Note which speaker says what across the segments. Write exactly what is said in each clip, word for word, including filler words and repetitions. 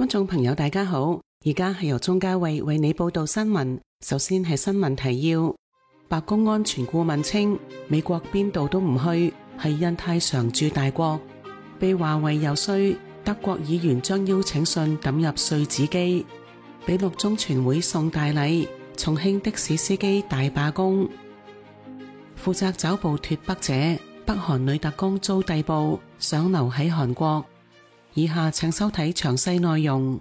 Speaker 1: 觀眾朋友大家好，而家係由鍾嘉慧為你報道新聞。首先係新聞提要。白宮安全顧問稱，美國邊度都唔去，係印太常駐大國。被華為遊說，德國議員將邀請信抌入碎紙機。俾六中全會送大禮，重慶的士司機大罷工。負責抓捕脫北者，北韓女特工遭逮捕，想留喺韓國。以下請收睇詳細內容。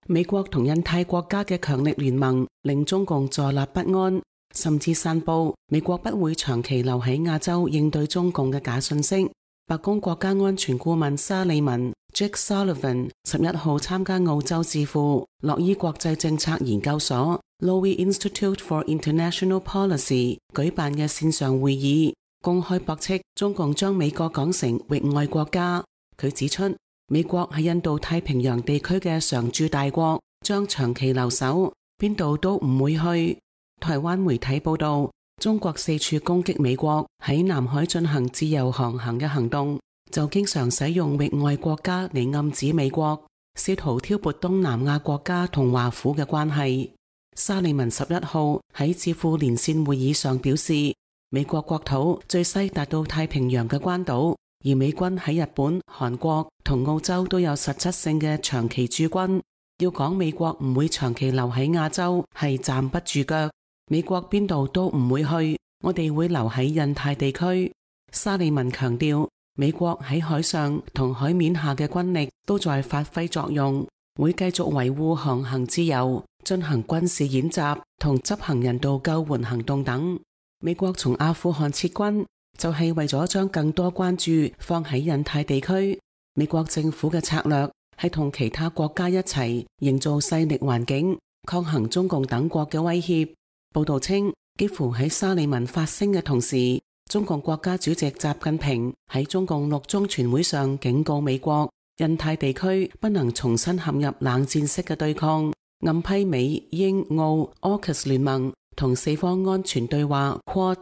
Speaker 1: 美國同印太國家嘅強力聯盟令中共坐立不安，甚至散布美國不會長期留喺亞洲應對中共嘅假信息。白宮國家安全顧問沙利文 Jake Sullivan 十一號參加澳洲智庫洛伊國際政策研究所 Lowy Institute for International Policy 舉辦嘅線上會議，公開駁斥中共將美國講成域外國家。佢指出，美國喺印度太平洋地區嘅常駐大國，將長期留守，邊度都唔會去。台灣媒體報道，中國四處攻擊美國喺南海進行自由航行嘅行動，就經常使用域外國家嚟暗指美國，試圖挑撥東南亞國家同華府嘅關係。沙利文十一號喺智庫連線會議上表示，美國國土最西達到太平洋嘅關島，而美軍喺日本、韓國同澳洲都有實質性嘅長期駐軍。要講美國唔會長期留喺亞洲，係站不住腳。美國邊度都唔會去，我哋會留喺印太地區。沙利文強調，美國喺海上同海面下嘅軍力都在發揮作用，會繼續維護航行自由，進行軍事演習同執行人道救援行動等。美國從阿富汗撤軍，就係為咗將更多關注放喺印太地區。美國政府嘅策略係同其他國家一齊營造勢力環境，抗衡中共等國嘅威脅。報道稱，幾乎喺沙利文發聲嘅同時，中共國家主席習近平喺中共六中全會上警告美國，印太地區不能重新陷入冷戰式嘅對抗，暗批美、英、澳、AUKUS 聯盟同四方安全對話 Quad。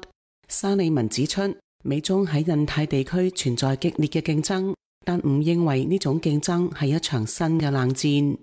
Speaker 1: 沙利文指出，美中喺印太地區存在激烈嘅競爭，但唔認為呢種競爭係一場新嘅冷戰。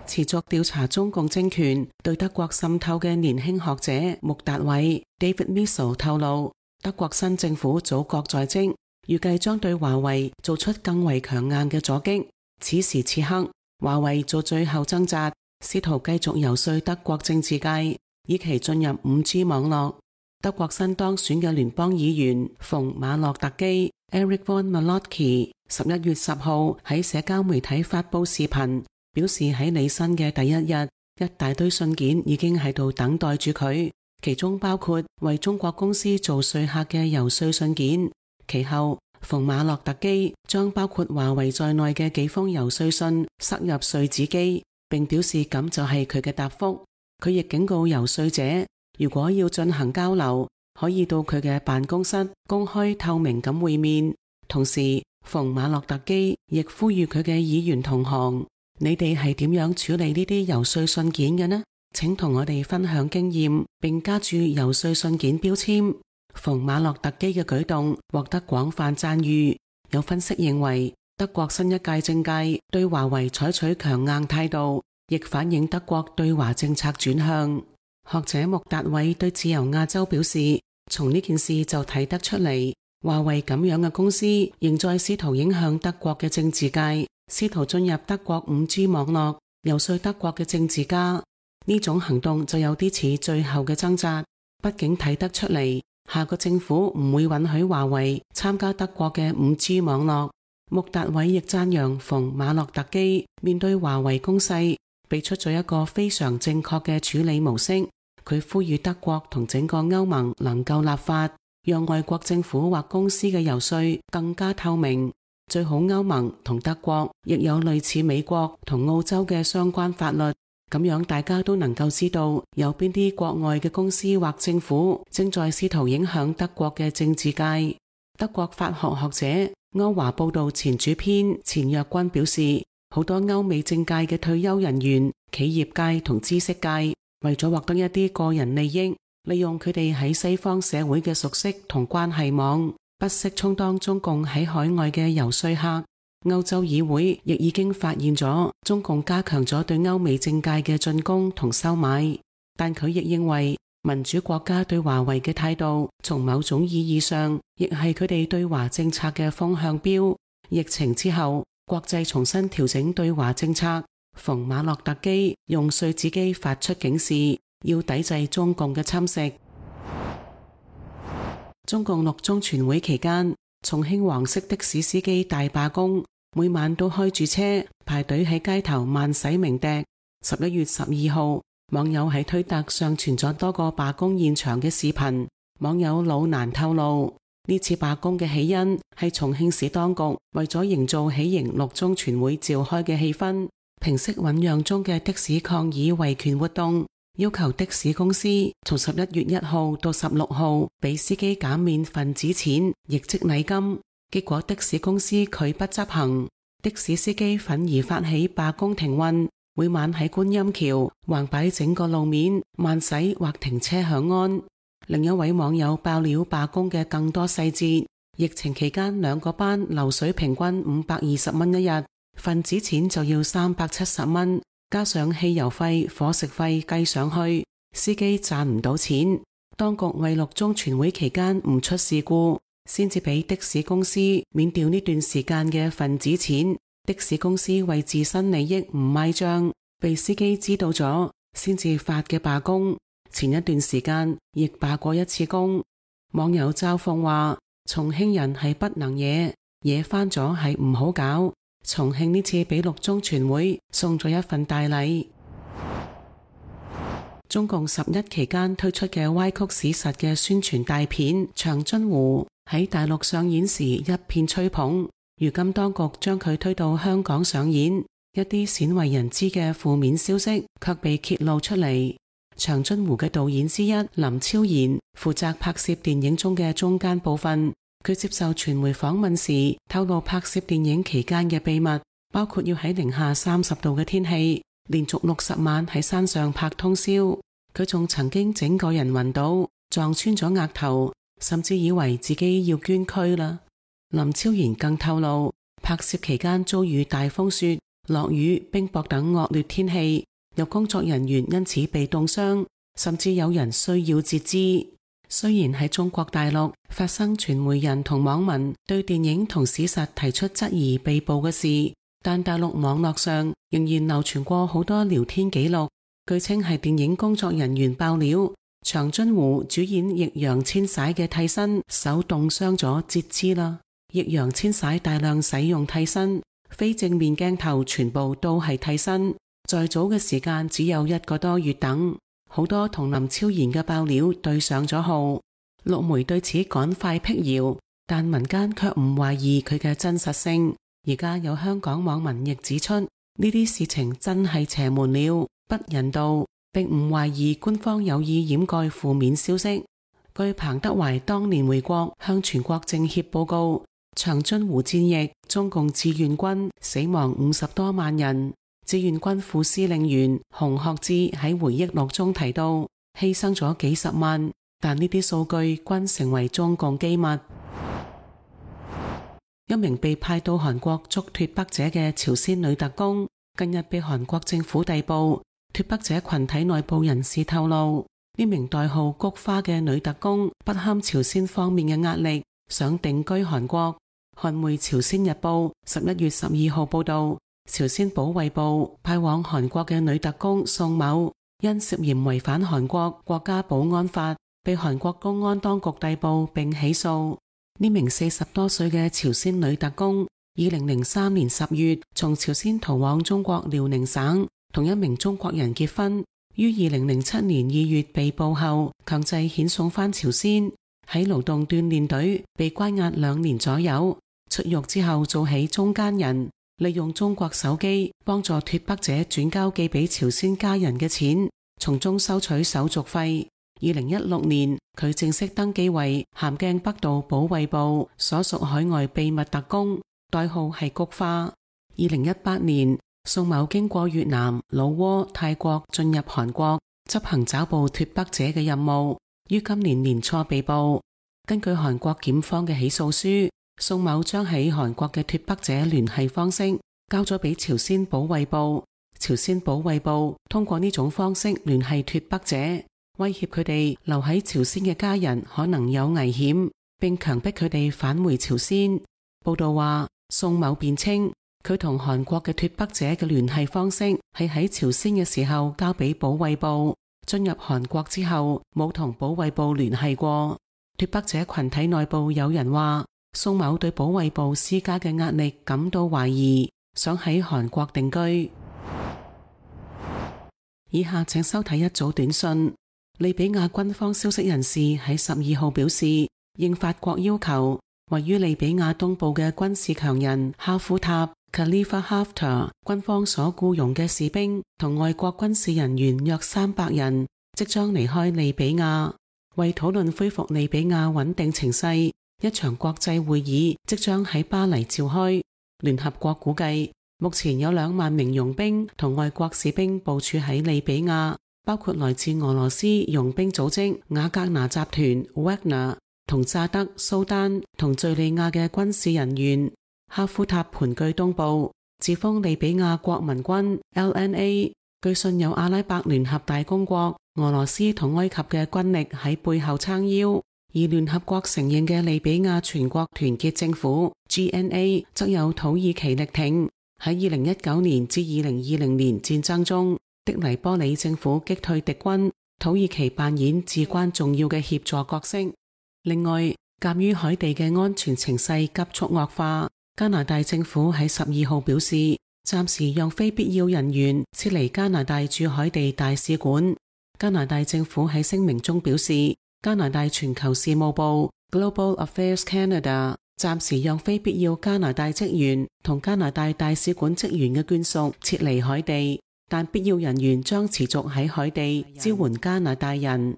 Speaker 1: 持續調查中共政權對德國滲透嘅年輕學者穆達偉 David Miesel 透露，德國新政府組閣在即，預計將對華為做出更為強硬嘅阻擊。此時此刻，華為做最後掙扎，試圖繼續游說德國政治界，以期進入 五 G 網絡。德國新當選嘅聯邦議員馮馬洛特基 Eric von Malotky 十一月十號喺社交媒體發佈視頻，表示喺履新嘅第一日，一大堆信件已經喺度等待住佢，其中包括為中國公司做說客嘅遊說信件。其後，馮馬洛特基將包括華為在內嘅幾封遊說信塞入碎紙機，並表示咁就係佢嘅答覆。佢亦警告遊說者，如果要進行交流，可以到佢嘅辦公室公開透明咁會面。同時，馮馬洛特基亦呼籲佢嘅議員同行，你哋係點樣處理呢啲遊說信件嘅呢？請同我哋分享經驗，並加注遊說信件標籤。馮馬洛特基嘅舉動獲得廣泛讚譽。有分析認為，德國新一屆政界對華為採取強硬態度，亦反映德國對華政策轉向。學者穆達偉對自由亞洲表示，從呢件事就睇得出嚟，華為咁樣嘅公司仍在試圖影響德國嘅政治界，試圖進入德國 五 G 網絡，游說德國嘅政治家。呢種行動就有啲似最後嘅掙扎。畢竟睇得出嚟，下個政府唔會允許華為參加德國嘅 五 G 網絡。穆達偉亦讚揚馮馬洛特基面對華為攻勢，俾出咗一個非常正確嘅處理模式。佢呼籲德國同整個歐盟能夠立法，讓外國政府或公司嘅遊說更加透明。最好歐盟同德國亦有類似美國同澳洲嘅相關法律，咁樣大家都能夠知道有邊啲國外嘅公司或政府正在試圖影響德國嘅政治界。德國法學學者歐華報道前主編錢若君表示，好多歐美政界嘅退休人員、企業界同知識界為咗獲得一啲個人利益，利用佢哋喺西方社會嘅熟悉同關係網，不惜充當中共喺海外嘅遊說客。歐洲議會亦已經發現咗中共加強咗對歐美政界嘅進攻同收買，但佢亦認為民主國家對華為嘅態度，從某種意義上亦係佢哋對華政策嘅風向標。疫情之後，國際重新調整對華政策，馮馬洛特基用碎紙機發出警示，要抵制中共嘅侵蝕。中共六中全會期間，重慶黃色的士司機大罷工，每晚都開住車排隊喺街頭慢駛鳴笛。十一月十二號，網友喺推特上傳咗多個罷工現場嘅視頻。網友老蘭透露，呢次罷工嘅起因係重慶市當局為咗營造喜迎六中全會召開嘅氣氛，平息醞釀中嘅的，的士抗議維權活動，要求的士公司從十一月一號到十六號俾司機減免份子錢，亦即禮金。結果的士公司拒不執行，的士司機憤而發起罷工停運，每晚喺觀音橋橫擺整個路面慢駛或停車響安。另一位網友爆料罷工嘅更多細節，疫情期間兩個班流水平均五百二十蚊一日，份子錢就要三百七十蚊，加上汽油費、伙食費計上去，司機賺唔到錢。當局為六中全會期間唔出事故，先至俾的士公司免掉呢段時間嘅份子錢。的士公司為自身利益唔賣賬，被司機知道咗，先至發嘅罷工。前一段時間亦罷過一次工。網友嘲諷話，重慶人係不能惹，惹翻咗係唔好搞。重慶呢次俾六中全會送咗一份大禮。中共十一期間推出嘅歪曲史實嘅宣傳大片《長津湖》喺大陸上演時一片吹捧，如今當局將佢推到香港上演，一啲鮮為人知嘅負面消息卻被揭露出嚟。長津湖嘅導演之一林超賢負責拍攝電影中嘅中間部分，佢接受傳媒訪問時透露拍攝電影期間嘅秘密，包括要喺零下三十度嘅天氣連續六十晚喺山上拍通宵。佢仲曾經整個人暈倒，撞穿咗額頭，甚至以為自己要捐軀啦。林超賢更透露，拍攝期間遭遇大風雪、落雨、冰雹等惡劣天氣，有工作人員因此被凍傷，甚至有人需要截肢。雖然喺中國大陸發生傳媒人同網民對電影同史實提出質疑被捕嘅事，但大陸網絡上仍然流傳過好多聊天記錄，據稱係電影工作人員爆料，長津湖主演易烊千璽嘅替身手凍傷咗截肢啦。易烊千璽大量使用替身，非正面鏡頭全部都係替身，在早嘅時間只有一個多月等，好多同林超賢嘅爆料對上咗號。陸媒對此趕快闢謠，但民間卻唔懷疑佢嘅真實性。而家有香港網民亦指出，呢啲事情真係邪門了，不人道，並唔懷疑官方有意掩蓋負面消息。據彭德懷當年回國向全國政協報告，長津湖戰役中共志願軍死亡五十多萬人。志願軍副司令員洪學智喺回憶錄中提到，犧牲咗幾十萬，但呢啲數據均成為中共機密。一名被派到韓國捉脫北者嘅朝鮮女特工，近日被韓國政府逮捕。脫北者群體內部人士透露，呢名代號菊花嘅女特工不堪朝鮮方面嘅壓力，想定居韓國。韓媒朝鮮日報十一月十二號報道，朝鮮保衛部派往韓國嘅女特工宋某，因涉嫌違反韓國國家保安法，被韓國公安當局逮捕並起訴。呢名四十多歲嘅朝鮮女特工，二零零三年十月從朝鮮逃往中國遼寧省，同一名中國人結婚，於二零零七年二月被捕後，強制遣送返朝鮮，喺勞動鍛煉隊被關押兩年左右。出獄之後做起中間人，利用中國手機幫助脫北者轉交寄俾朝鮮家人嘅錢，從中收取手續費。二零一六年，佢正式登記為咸鏡北道保衛部所屬海外秘密特工，代號係菊花。二零一八年，宋某經過越南、老撾、泰國進入韓國，執行抓捕脫北者嘅任務，於今年年初被捕。根據韓國檢方嘅起訴書，宋某將喺韓國嘅脫北者聯繫方式交咗俾朝鮮保衛部，朝鮮保衛部通過呢種方式聯繫脫北者，威脅佢哋留喺朝鮮嘅家人可能有危險，並強迫佢哋返回朝鮮。報道話，宋某辯稱佢同韓國嘅脫北者嘅聯繫方式係喺朝鮮嘅時候交俾保衛部，進入韓國之後冇同保衛部聯繫過。脫北者群體內部有人話，宋某對保衛部施加嘅壓力感到懷疑，想喺韓國定居。以下請收睇一組短訊。利比亞軍方消息人士喺十二號表示，應法國要求，位於利比亞東部嘅軍事強人哈夫塔 Khalifa Haftar 軍方所僱傭嘅士兵同外國軍事人員約三百人即將離開利比亞，為討論恢復利比亞穩定情勢，一場國際會議即將喺巴黎召開。聯合國估計，目前有兩萬名傭兵同外國士兵部署喺利比亞，包括來自俄羅斯傭兵組織瓦格納集團 Wagner 同乍得、蘇丹同敘利亞嘅軍事人員。哈夫塔盤踞東部，自封利比亞國民軍 L N A， 據信有阿拉伯聯合大公國、俄羅斯同埃及嘅軍力喺背後撐腰，而聯合國承認嘅利比亞全國團結政府 G N A 則有土耳其力挺。喺二零一九年至二零二零年戰爭中，的黎波里政府擊退敵軍，土耳其扮演至關重要嘅協助角色。另外，鑒於海地嘅安全情勢急速惡化，加拿大政府喺十二號表示，暫時讓非必要人員撤離加拿大駐海地大使館。加拿大政府喺聲明中表示，加拿大全球事務部 Global Affairs Canada 暫時讓非必要加拿大職員同加拿大大使館職員嘅眷屬撤離海地，但必要人員將持續喺海地支援加拿大人。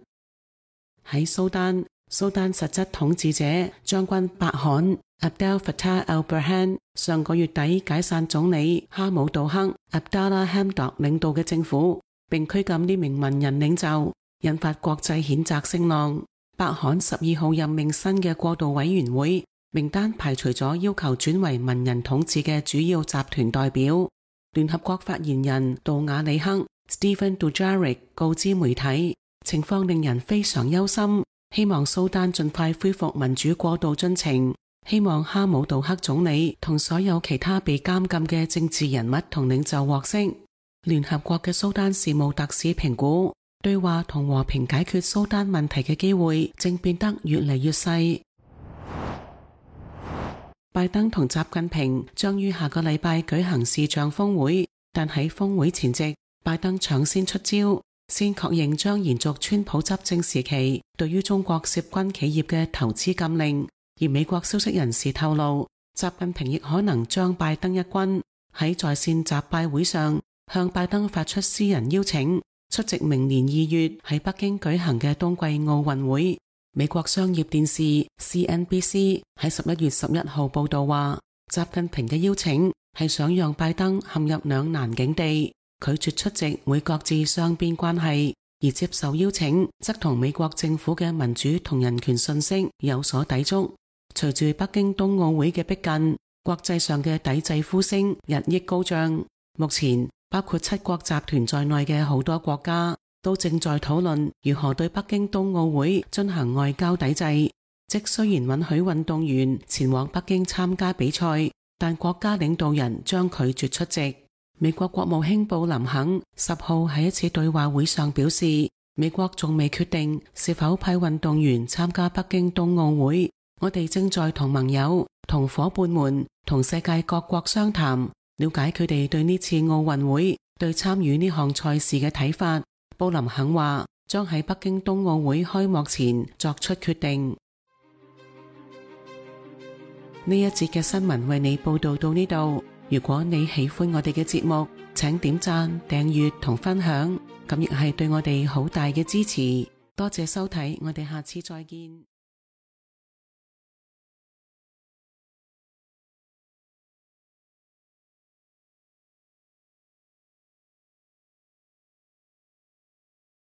Speaker 1: 喺蘇丹，蘇丹實質統治者將軍伯罕 Abdel Fattah al-Burhan 上個月底解散總理哈姆杜克 Abdallah Hamdok 領導嘅政府，並拘禁呢名文人領袖，引發國際譴責聲浪。伯罕十二號任命新嘅過渡委員會，名單排除咗要求轉為文人統治嘅主要集團代表。聯合國發言人杜瓦里克 Stephen Dujarric 告知媒體，情況令人非常憂心，希望蘇丹盡快恢復民主過渡進程，希望哈姆杜克總理同所有其他被監禁嘅政治人物同領袖獲釋。聯合國嘅蘇丹事務特使評估，對話同和平解決蘇丹問題嘅機會正變得越嚟越細。拜登同習近平將於下個禮拜舉行視像峰會，但喺峰會前夕，拜登搶先出招，先確認將延續川普執政時期對於中國涉軍企業嘅投資禁令。而美國消息人士透露，習近平亦可能將拜登一軍喺在線習拜會上向拜登發出私人邀請，出席明年二月喺北京舉行嘅冬季奧運會。美國商業電視 C N B C 喺十一月十一號報道話，習近平嘅邀請係想讓拜登陷入兩難境地，拒絕出席會擱置雙邊關係，而接受邀請則同美國政府嘅民主同人權信息有所抵觸。隨住北京冬奧會嘅逼近，國際上嘅抵制呼聲日益高漲。目前包括七國集團在內嘅好多國家都正在討論如何對北京冬奧會進行外交抵制，即雖然允許運動員前往北京參加比賽，但國家領導人將拒絕出席。美國國務卿布林肯十號喺一次對話會上表示，美國仲未決定是否派運動員參加北京冬奧會，我哋正在同盟友、同夥伴們、同世界各國商談，了解佢哋對呢次奧運會、對參與呢項賽事嘅睇法。布林肯話將喺北京冬奧會開幕前作出決定。呢一節嘅新聞為你報道到呢度。如果你喜歡我哋嘅節目，請點讚、訂閱同分享，咁亦係對我哋好大嘅支持。多謝收睇，我哋下次再見。